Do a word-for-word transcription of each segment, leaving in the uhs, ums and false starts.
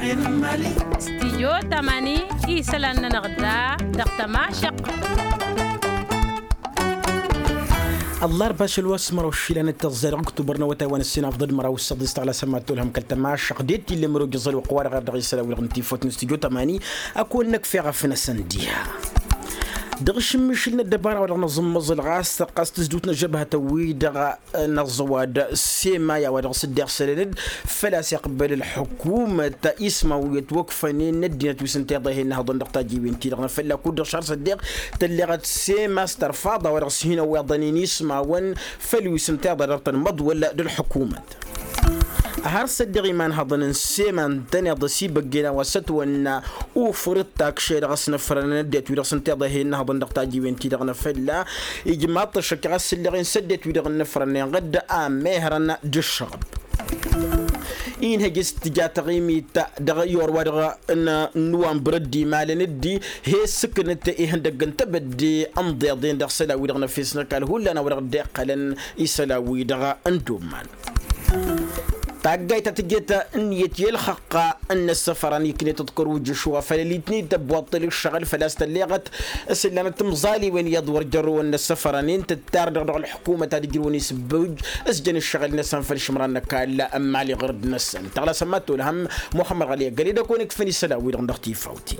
Stijyo tamani isălan-nănăɣ da dăɣ-tămašăq. Ăllarba ašăl wa s-măraw išilan d-tăẓẓa dăɣ-ăktubăr n-awătay wa n-ǝssin afḍăd măraw s-săḍis taɣla s-ămma tolhăm kăl-tămašăq d-e-t illa măraw jăẓăl wa ăqwa dăɣ-dăɣ isălan wi-dăɣ n-tifawt n-stijyo tamani. Ad-kăwăn-năkf eɣăf n-asăn diha dăɣ-ašǝmmišǝl n-ăddăbara wa dăɣ-năẓǝmmăẓǝl ɣas tăqqas tǝzdut n-ăžžăbhătăn-wi-dăɣ. Năẓẓăwad sema i-a-wa dăɣ-s dd-iɣsălăn-dd făl-a-s iqbăl ălḥukumăt ismaw i-ătwăkfănen n-ăddinăt wi s-ǝnta iḍa ih'-innă hăḍăn dăɣ-tajǝywen-ti-dăɣ n-afălla kud-dăɣ šăr s-ăddiɣ tălleɣăt sema s-tărfaḍ a-wa dăɣ-s hin-ăwweḍăn-in ismawăn. Făl wi s-ǝnta iḍa dăɣ-tăn măḍwăl d-ălḥukumăt. Har s-ăddiɣ imanhăḍăn n-sema ǝntăneḍ ăsibăggen a-wa s-ătwănna ufǝr d-takše dăɣ-s nǝfrănăn ăddinăt wi dăɣ-s ǝnta iḍa ih'-innă hăḍăn dăɣ-tajǝywen-ti-dăɣ n-afălla. Ijmaḍ-t ăššăk ɣas ǝlleɣ-in s-ăddinăt wi-dăɣ ǝnnǝfrănnen ɣǝdd a mehrăn d-ǝššăɣb. Inhăj s-tǝja taɣimit dăɣ-i orwa-dăɣ n-nuwănbăr dd-imalăn dd-he-ǝssǝknăt ihăndăgg n-tebădde ănḍeḍen dăɣ-isălan-wi-dăɣ n-efes n-ăkall hullan a-wa dăɣ-dd-iqqălăn isălan-wi-dăɣ n-dumman. Taggayt ta tǝjjăt ǝnniyăt i-ălxăqqa n-inǝssăfărăn iknet d-kăruj ǝšwa făll-ălitnit ăbbuṭṭǝl ǝššăɣǝl făl-a-s tălleɣăt s-ǝllanăt timẓaliwen iyyăḍ wăr jărrăwăn inǝssăfărăn-in tǝttar-dăɣ dăɣ-ălḥukumăt ad-ǝjrǝwăn isǝbbǝwǝj s-jăn ǝššăɣǝl-năsăn făll-išǝmran n-ăkall n-imali ɣur-dd-năsăn tăɣlasăn ma t-olhăm. Muxămmăd ɣăli ăggăled ad-kăwăn-ǝkfăn isălan-wi-dăɣ dăɣ-tifawt-i.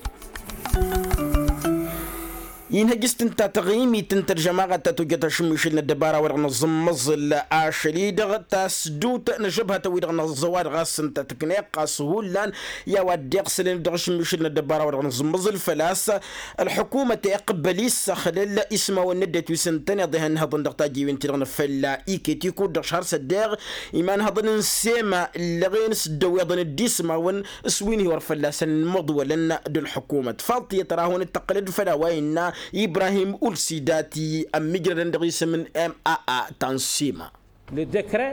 Inhăj s-tǝnta taɣimit n-tălžămaɣăt ta tojjăt ašǝmmišǝl n-ăddăbara wa dăɣ-nǝẓǝmmăẓǝl ašăl-i-dăɣ tasdut n-ažăbhătăn-wi-dăɣ n-ăẓẓăwad ɣas ǝnta tǝkneɣ ɣas hullan i-a-wa dd-iɣsǝlăn dăɣ-ašǝmmišǝl n-ăddăbara wa dăɣ-nǝẓǝmmăẓǝl făl-a-s ălḥukumăt iqqăbbăl issăxlăl ismawăn n-ăddinăt wi s-ǝntăneḍ ihănnăhăḍăn dăɣ-tajǝywen-ti-dăɣ n-afălla iket ikud-dăɣ šăr s-ăddeɣ imanhăḍăn n-sema ǝllăɣen s-dd-ăwweḍăn dd-ismawăn s-win-hi wăr fălla-săn măḍwălăn d-ălḥukumăt faḍt iyyăt ra hawăn-dd-tăqqǝlăd făll-a-wa innă ibrahim ulsidati ămmijrădăn dăɣ-isǝm n-maa ta n-sema.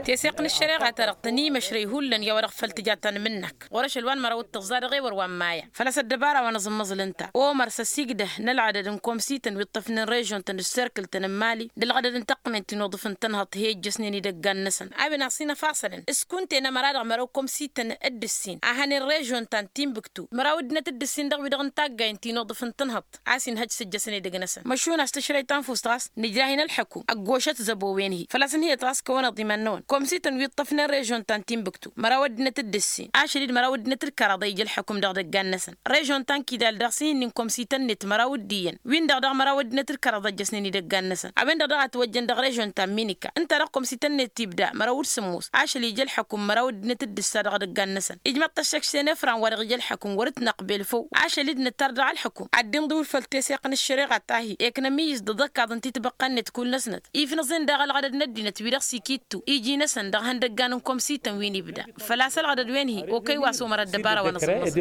Teseɣt n-ăššăreɣa-ta-dăɣ tăn-imăšrăy hullan i-a-wa-dăɣ făl tǝja tanmǝnnakt ɣur-ašăl wa n-măraw d-tǝẓẓa dăɣ-ewăr wa n-maya făl-a-s ăddăbara wa n-aẓǝmmăẓǝl ǝnta omăr s-ăsigdăh n-ălɣădăd n-komsităn wi ǝṭṭăfnen režon-tăn d-serkǝl-tăn n-imali d-ălɣădăd n-taqqǝment ti n-uḍǝf n-tănhăḍt he-ijjăsnen idăggan-năsăn a-wen asǝnăfaṣălăn s-kunta-en ămăra-dăɣ măraw komsităn d-ǝssin a hănen režon ta n-tinbǝktu măraw ăddinăt d-ǝssin dăɣ-wi-dăɣ n-taggayen ti n-uḍǝf n-tănhăḍt a-s inhăj s-ǝjjăsăn edăgg-năsăn măšun a-s tǝšrăy tanfust ɣas nǝjrah-in ălḥăkum ăggošăt zăbo-wen-hi făl-a-s ǝnhǝyăt ɣas kăwăneḍ iman-năwăn komsităn wi ǝṭṭăfnen režon ta n-tinbǝktu măraw ăddinăt d-ǝssin ašăl-dd măraw ăddinăt d-kăraḍa ija ălḥăkum dăɣ-idăggan-năsăn režon ta n-kidal daɣ s-ihǝnnin komsităn-net măraw d-iyyăn win-dăɣ daɣ măraw ăddinăt d-kăraḍa ăjjăsnen idăggan-năsăn a-wen-dăɣ daɣ a ătwăjjăn dăɣ-režon ta n-minika ǝnta-dăɣ komsităn-net tibda măraw d-sǝmmos ašăl ija ălḥăkum măraw ăddinăt d-ǝssa dăɣ-idăggan-năsăn ijmăḍ-t ăššăkšten efran wa dăɣ-ija ălḥăkum wăr-dd-năqbel făw ašăl-dd nǝttar dăɣ-ălḥăkum ad-dd-inḍǝw făll-teseɣt n-ăššăreɣa ta hi-eknăm iyyǝs d-aḍăkkaḍ n-titbăqqa-net kull-năsnăt ifnǝẓen daɣ ălɣădăd n-ăddinăt wi-dăɣ s-ikittu iji-năsăn dăɣ-ihăndăggan n-komsităn wi n-ibda făl-a-s ălɣădăd-wen-hi okăy wa s-omăr ăddăbara wa n-aẓǝmmăẓ.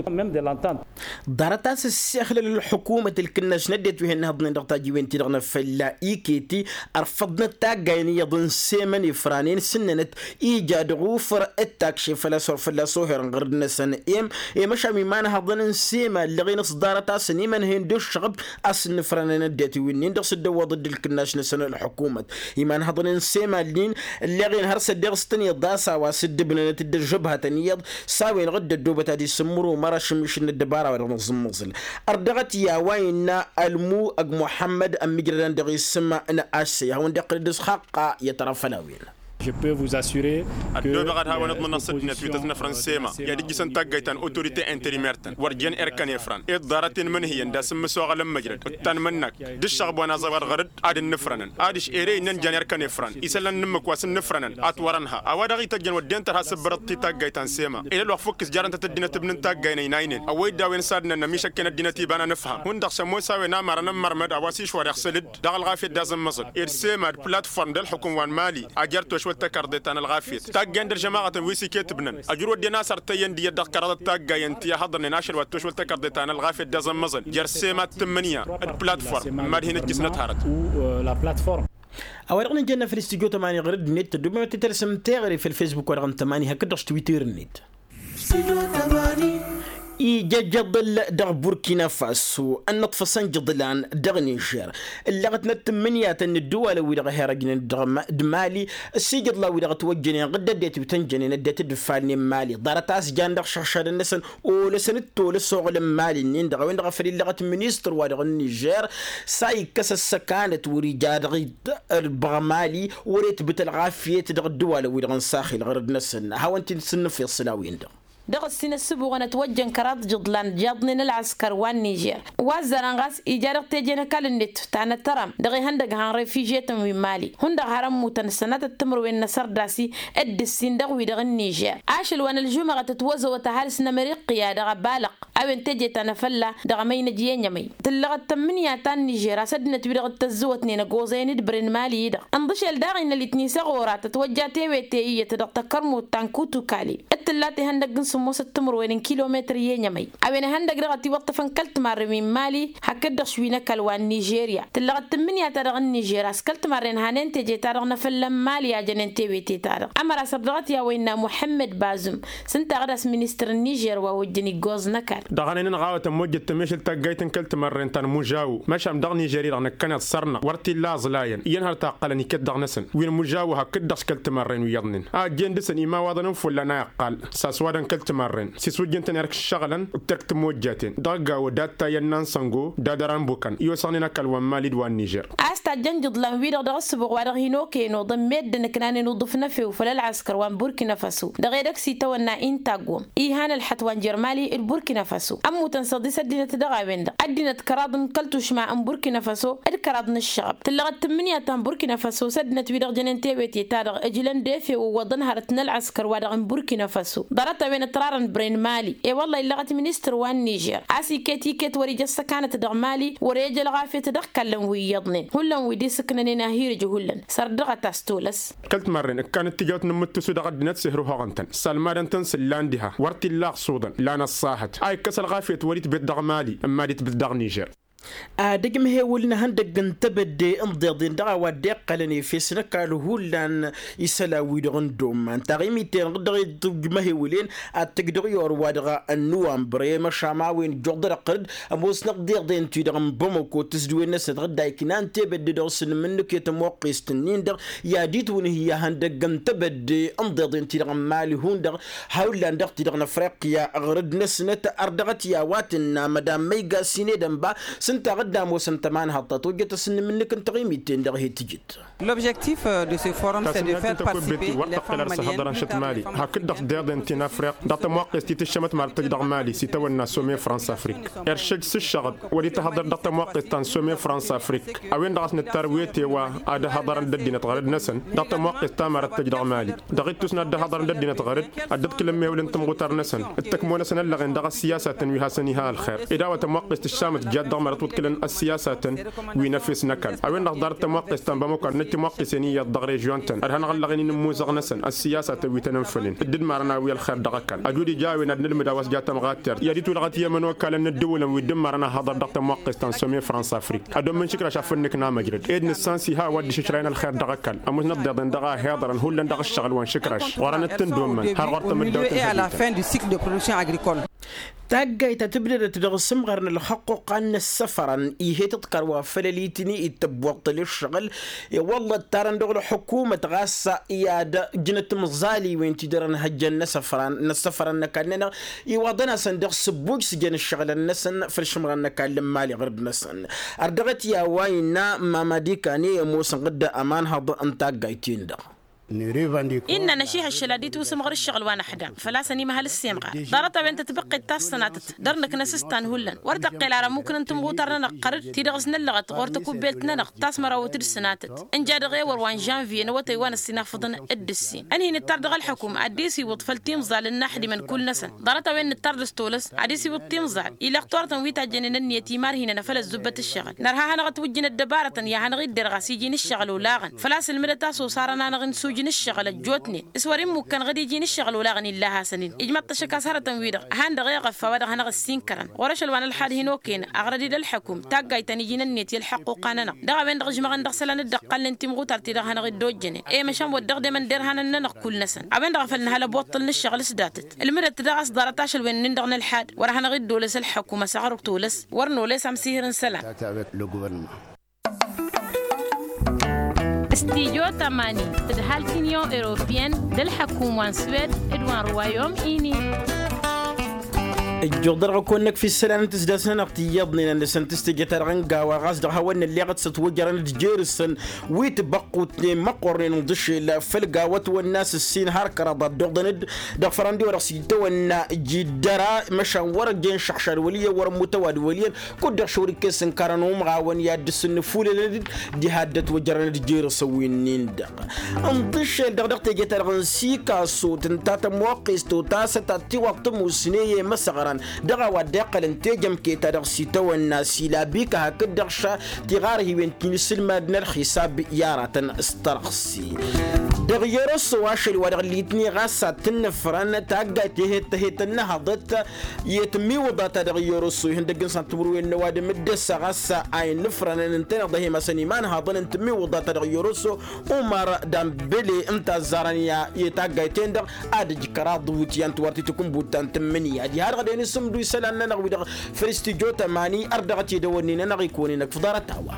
Ḍarăt a-s ǝssexlăl ălḥukumăt ǝlkǝnnaš n-ăddinăt wi hin-nǝhǝḍnen dăɣ-tajiwen-ti-dăɣ n-afălla iketi ărfăḍnăt taggayen iyyăḍ n-semăn ifranen s-ǝnnănăt ija dăɣ-ufǝr d-takše făl-a-s wăr fălla-s oherăn ɣărd-năsăn. Em emăšam imanhăḍăn n-sema ǝllăɣen s-ḍarăt a-s ănimănhăyăn d-ǝššăɣb a-s ǝnnǝfrănăn ăddinăt wi-nin-dăɣ s-dd-ăwwăḍ-dd ǝlkǝnnaš-năsăn ălḥukumăt imanhăḍăn n-sema ǝllin ǝlleɣen har s-ăddeɣ s-tăn-iḍas a-wa s-dd-ǝbnănăt d-ăžžăbhătăn iyyăḍ s-a-wen-dăɣ dd-ăddoobăt ad-isǝmmǝru măraš n-mišǝl n-ăddăbara wa dăɣ-nǝẓǝmmǝẓǝl. Ărdăɣăt i-a-wa innă ălmu ăgg muḥămmăd ămmijrădăn dăɣ-isǝm n-ašsăy a hawăn-dd-iqqǝl d-asxaqqa i-ad-tăra făll-a-wen. Ăddoobeɣ ad-hawăn-iḍmǝnăɣ s-ăddinăt wi tăznăfrăn sema i-ad-ǝjjǝsăn taggayt ta n-autorite interimer-tăn wăr jen erkăn efran ed ḍarăt-en mănhǝyăn d-asǝmmǝsoɣăl n-măjrăd d-tanmănnakt d-ǝššăɣb wa n-aẓăwad ɣăr-dd ad-ǝnnǝfrănăn adiš ere innăn jan erkăn efran isălan n-ǝmmǝk wa s-ǝnnǝfrănăn a ătwărăn ha a-wa dăɣ-ităjjăn wădden tărha s-ǝbbărăḍ-t i-taggayt ta n-sema ed ălwăqq făw-kit jarăn-tăt ăddinăt ǝbnǝn taggay n-ăynaynen ăwwăy-dd a-wen s-adnăn ămišăkken ăddinăt iba n-anǝfham hundăɣ s-ămoos a-wen amărăn n-mărmăd a-wa s-išwăr iɣsǝl-dd dăɣ-ălɣafyăt d-azǝmmăẓǝl ed sema d-platform d-ălxukǝm wa n-mali ajăr tošwăl tăkarḍe ta n-ălɣafyăt taggayen d-ălžămaɣătăn wi s-iket ǝbnăn ăjrǝw ăddinăt a-s ărtăyyăn d-iyyăt dăɣ-kăraḍăt taggayen ti ăhhăḍărnen ašăl wa t-tošwăl tăkarḍe ta n-ălɣafyăt d-azǝmmăẓǝl jer-sema d-tǝmmǝnǝya d-platform n-mad-hin-ǝjjǝsnăt hărăt. A-wa dăɣ-nǝjănna făll-studyo tămani ɣur-ăddinăt tăddoobem ad-t-tălsăm teɣăre făll-facebook wa dăɣ-n tămani hakd-dăɣ s-twitter-net. Ija ijăḍăl dăɣ-burkina faso ănnăṭfăsăn jăḍlan dăɣ-nižer. Ǝllăɣătnăt tǝmmǝnǝyatăn n-ǝddǝwalăn wi-dăɣ herăjnen dăɣ-mali. Ăssiijăḍlan wi-dăɣ ătwăjjănen ɣǝddădet wi tăn-jănen ăddinăt d-ǝffalnen mali ḍarăt a-s jan dăɣ-išăɣšadăn-năsăn. Olăsăn d-tolăs oɣlăn mali-nin-dăɣ a-wen-dăɣ a făl illăɣăt ministăr-wa-dăɣ n-nižer. S-a ikkăs ăssăkanăt wăr-ija dăɣ-itbăɣ mali wăr-itbǝt ălɣafyăt dăɣ-ǝddǝwalăn-wi-dăɣ n-saxil ɣărăd-năsăn. Hawăn-t-in-sǝnnǝfeḍ s-ălawin-dăɣ. Dăɣ-ǝssin ăssǝbuɣăn ătwăjjăn kăraḍ jǝḍlan jaḍnen ălɣăskăr wa n-nižer wa ăzzărăn ɣas ija dăɣ-teje n-ăkall-net ta n-ăttăram dăɣ-ihăndăg han refižetăn wi n-mali hundăɣ har ămmutăn ăssănatăt timǝrwen n-asărdasi d-ǝssin dăɣ-wi-dăɣ n-nižer. Ašăl wa n-ălžumăɣăt ătwăzăwăt ăhalǝs n-ămriqya dăɣ-abalăɣ a-wen teje ta n-afălla dăɣ-emăynăj i-enyămăy. Tǝllăɣăt tămmǝnǝya ta n-nižer a-s ăddinăt-wi-dăɣ dd-tăzzăwătnen ăggoẓăyăn d-bren mali-i-dăɣ ǝnḍǝšel daɣ-innăl itnis ăɣora tătwăjja tewete iyyăt dăɣ-tăkkărmut ta n-kutukali. D-tǝlla tehăndăgg n-sǝmmosăt timǝrwen n-kilometăr i-enyămăy a-wen ihăndăgg dăɣ-ătiwăṭṭăfăn kăl-timarren wi n-mali. Hakd-dăɣ šwin ăkall wa n-nižerya tǝllăɣăt tǝmmǝnǝya-ta-dăɣ n-nižer a-s kăl-timarren hanen teje-ta-dăɣ n-afălla n-mali a jănen tewete-ta-dăɣ ămăra săr dăɣ-t i-a-wa innă muḥămmăd bazum. S-ǝnta ɣǝd a-s ministăr n-nižer wa ojjăn iggoẓ n-ăkall. Dăɣ-hanăynăn ɣawătăn mojjăt tămešăl taggayt n-kăl-timărren ta n-mužawu măšan dăɣ-nižer-i-dăɣ năkkăneḍ săr-năɣ wăr t-illa aẓlayăn iyyăn har taqqălăn iket dăɣ-năsăn wi n-mužawu hakd-dăɣ s-kăl-timărren wi iyyăḍnen a ăjjeen dăɣ-săn imawaḍăn n-fulla n-a iqqal. S-aswadăn kăl-timărren s-iswǝjjǝn-tăn erk ǝššăɣǝlăn d-terk timojjaten dăɣ-gawo d-attayăn n-ansăngo d-adăra n-bukăn i-osăɣnen ăkall wa n-mali d-wa n-nižer. A-s tajjăn jǝḍlan-wi-dăɣ dăɣ-ǝssǝbuɣ wa dăɣ-hin-okăyăn oḍăn meddǝn ǝknanen uḍǝf n-efew făll-ălɣăskăr wa n-burkina faso dăɣ-edăgg s-itawănna intagwăm ihan ălxăt wa n-jer-mali d-burkina faso ămmutăn s-iḍis ăddinăt dăɣ-a-wen-dăɣ ăddinăt kăraḍ n-kăl-tušma n-burkina faso d-kăraḍ n-ǝššăɣăb tǝllăɣăt tǝmmǝnǝya ta n-burkina faso s-ăddinăt-wi-dăɣ jănen tewete-ta-dăɣ ǝjlăn d-efew ǝwwăḍăn hărăt n-ălɣăskăr wa dăɣ-n burkina faso. Ḍarăt-a-wen ătrarăn bren mali i-wălla illăɣăt ministăr wa n-nižer a-s iket iket wăr-ija ăssăkanăt dăɣ-mali wăr-e-ăj ălɣafyăt dăɣ-ikallăn wi iyyăḍnen hullan wi d-isǝknănen ahirǝj hullan. Săr dăɣ-ătas tolăs. Kăl-timărren ǝkkanăt tijawt n-amǝttusu dăɣ-ăddinăt s-ehruhăɣăn-tăn sălmadăn-tăn s-ǝllan diha wăr t-illa aɣsuḍăn lan ăṣṣahăt a ikkăs ălɣafyăt wăr-itbet dăɣ-mali ǝmma d-itbǝt dăɣ-nižer. Ad-ǝjmăhewǝl n-ehăndăgg n-tebădde n-iḍeḍen dăɣ-a-wa dd-iqqălăn efes n-ăkall hullan isălan-wi-dăɣ n-domman taɣimit-en-dăɣ dăɣ-ijmăhewǝl-en ad-tǝj dăɣ-iyor-wa-dăɣ n-nuwănbre măšan a-wen ǝjjuḍărăɣ-t ămoosnăɣ d-iḍen-ti-dăɣ n-bamăko tǝsdǝwen-năsnăt ɣǝdda iknan tebădde dăɣ-s nǝmmǝnnǝk i-tămoqqest-nin-dăɣ i-ad-itwǝnhǝy ihăndăgg n-tebădde n-iḍeḍen-ti-dăɣ n-mali hundăɣ hawǝllan dăɣ-ti-dăɣ n-afriqya ɣur-dd-năsnăt ărdăɣăt i-a-wa tǝnna mădan măyga s-inedăn ba s-ǝnta ɣǝdda ămoosăn tămanhăḍt ta tojjăt asǝnnǝm-nǝk n-taɣimit-ten-dăɣ he-tǝjǝt. L'objectif de ce forum s-e de faire participer les femmes maliennes hakd-dăɣ s-deḍen ti n-afriq dăɣ-tămoqqest ti tǝššămăt marăt tăj dăɣ-mali s-itawănna some france afric. Iršǝj s-ǝššăɣăb wăr-itahăḍăr dăɣ-tămoqqest ta n-some france afric a-wen-dăɣ a-s nǝttar wete wa ad-ăhăḍărăn d-ăddinăt ɣărăd-năsăn dăɣ-tămoqqest ta marăt tăj dăɣ-mali dăɣ-ittus n-ad-dd-ăhăḍărăn d-ăddinăt ɣărăd ad-dd-ǝḍkǝlăn mehulăn tămɣutar-năsăn d-tăkmo-năsăn ăllăɣen dăɣ-ăssiyasatăn wi hasăn-iha ălxer. Ed a-wa tămoqqest tǝššamăt jad dăɣ-mărăt wǝḍkǝlăn ăssiyasatăn wi n-efes n-ăkall a-wen-dăɣ ḍarăt tămoqqest ta n-bamăko ad-năj tămoqqesen iyyăḍ dăɣ-režion-tăn ărhănăɣ ăllăɣen-in n-imuzăɣ-năsăn ăssiyasatăn wi tăn-ǝnfănen dd-ǝdmarăn a-wi ălxer dăɣ-ăkall ăjud ija a-wen ad-nǝlmǝd a-wa s-ja tămɣattert i-ad-itwǝlɣăt i-ămănokalăn n-ǝddǝwǝlăn wi dd-ǝmmarăn a haḍăr dăɣ-tămoqqest ta n-some france afric ad-ommǝn išǝkraš a făl nǝkna măjrăd ed nǝssan s-iha a-wa dd-išǝšrayăn ălxer dăɣ-ăkall ămoosnăt d-iḍen dăɣ-a heḍărăn hullan dăɣ-ǝššăɣǝl wa n-išǝkraš ɣur-anăt-tǝndommăn har ɣur-tămăddawt n-hădităn. Taggayt ta tǝbdădăt dăɣ-asǝmɣăr n-ălxăqquqa n-inǝssăfărăn ih'-e tǝḍkăr wa făl ălitǝni ittăbbuṭṭăl ǝššăɣǝl. I-wălla ǝttarăn dăɣ-ălxukumăt ɣas i-ad-ǝjnăt timẓaliwen ti dăr-ănhăjjăn n-asăfran n-asăfran n-ăkall-nănăɣ iwaḍăn-asăn dăɣ-sǝbbuj s-jăn ǝššăɣǝlăn-năsăn făll-išǝmran n-ăkall n-imali ɣur-dd-năsăn. Ărdăɣăt i-a-wa innă mamadi kane i-ămoosăn ɣǝdda ămanhăḍ n-taggayt-in-dăɣ. Innă năšihăššăl ad-itwǝsǝmɣăr ǝššăɣǝl wa năḥda făl-a-s ănimăhăl ǝssemɣar ḍarăt-a-wen tătbăqqet ta s-sănatăt dăr-năkk n-asǝstan hullan wăr tăqqel ara ămmuknăn tǝmɣutar-nănăɣ ɣărăd ti-dăɣ s-năllăɣăt ɣur-tăkubbelt-nănăɣ ta s-mărawăt d-sănatăt ǝnja dăɣ-ewăr wa n-žănviye n-awătay wa năssinafăḍăn d-ǝssin ănhin ǝttar dăɣ-ălḥăkum ad-dd-isiwǝḍ făll-timẓal n-inaḥdimăn kull-năsăn ḍarăt-a-wen nǝttar dăɣ-s tolăs ad-isiwǝḍ timẓal. Ilăɣ turătăn wi tajjănen ǝnniyăt imarhinăn afăl ăzzubbăt ǝššăɣǝl nărha ad-hanăɣ-ătwǝjjǝn ăddăbarătăn i-ad-hanăɣ-idder ɣas iji n-ǝššăɣǝl olaɣăn făl-a-s ǝlmǝdăt a-s osarăn-anăɣ-in s-uj. ǝjǝn ǝššăɣǝl ăjjootnen s-wăr-immukkăn ɣǝd iji n-ǝššăɣǝl olaɣăn illaɣ hasăn-in. Ijmăḍ-t ašăk a-s hărătăn-wi-dăɣ han-dăɣ eɣăf a-wa dăɣ-hanăɣ-ǝssinkărăn ɣur-ašăl wa n-ălxad hin-okăyăn aɣrăd-dd ălḥăkum taggayt ta n-iji n-ǝnniyăt i-ălḥăqquqa-nănăɣ dăɣ-a-wen-dăɣ ǝžmăɣăn dăɣ-isălan dd-ăqqalnen timɣutar-ti-dăɣ hanăɣ-dd-ojjănen. I-măšan wăr dăɣ-dămăn derhanăn-nănăɣ kull-năsăn a-wen-dăɣ a făl nǝhăl ăbuṭṭǝl n-ǝššăɣǝl s-datăt ǝlmǝdăt daɣ a-s ḍarăt ašăl wen-nin-dăɣ n-ălxad wăr hanăɣ-dd-olăs ălḥăkum ăsăɣrǝk tolăs wăr nolăs amsihǝr n-isălan. Stijo tămani tǝdhal tinyon europiyăn d-ălḥăkum wa n-swed d-wa n-ruwayom-ini. Ǝjjuɣ-dăɣ dăɣ-kăwăn-năkf isălan n-tǝsdas-nănăɣ tiyyăḍnen ănnăsăn tǝstejăt-ta-dăɣ n-gawa ɣas dăɣ-hawăn-nălleɣăt s-ătwăjărăn d-jer-săn wi tibăqqutnen măqqornen n-iḍǝšel făll-gawăt wănna s-ǝssin har kăraḍ ad-dd-oḍăn-dd dăɣ-fărăndi wa dăɣ-s itawănna jiddăra măšan wăr-ăjjeen šăḥšad wăl' iyyăn wăr-ămmut ăwadǝm wăl' iyyăn kud-dăɣ šăwr ikes ǝnkarăn umɣawăn i-ad-dd-sǝnnǝfulălăn-dd diha dd-ătwăjărăn d-jer-săn wi-nin-dăɣ. Ǝnḍǝšel-dăɣ dăɣ-teje-ta-dăɣ n-sikaso tǝnta tămoqqes totasăt ad-tiwaḍ tămusne i-imăsăɣran dăɣ-a-wa dd-iqqălăn tejămke-ta-dăɣ s-itawănna s-ilabika hakd-dăɣ ša tiɣarhiwen ti n-isǝlmad n-ălxisab i-aratăn s-tărɣsi. Dăɣ-yăroso ašăl wa dăɣ-litni ɣas ad-tǝnnǝfrăn taggayt tehet-ănnăhăḍăt i-tǝmmiwǝḍa-ta-dăɣ yăroso ihăndăgg n-săn timǝrwen n-ăwadǝm d-ăssa ɣas a innǝfrănăn ǝnta-dăɣ dăɣ-e-masăn imanhaḍăn n-tǝmmiwǝḍa-ta-dăɣ yăroso umăr dambele ǝnta ăzzarăn i-taggayt-en-dăɣ ad-ǝj kăraḍ iwǝtyan tiwar titǝkǝnbut ta n-tǝmmǝnǝya diha-dăɣ d-e-nǝsǝmdu isălan-nănăɣ-wi-dăɣ făll-studyo tămani ărdăɣăt i-dăwănnin-nănăɣ ikăwăn-in-ăkf ḍarăt-a-wa.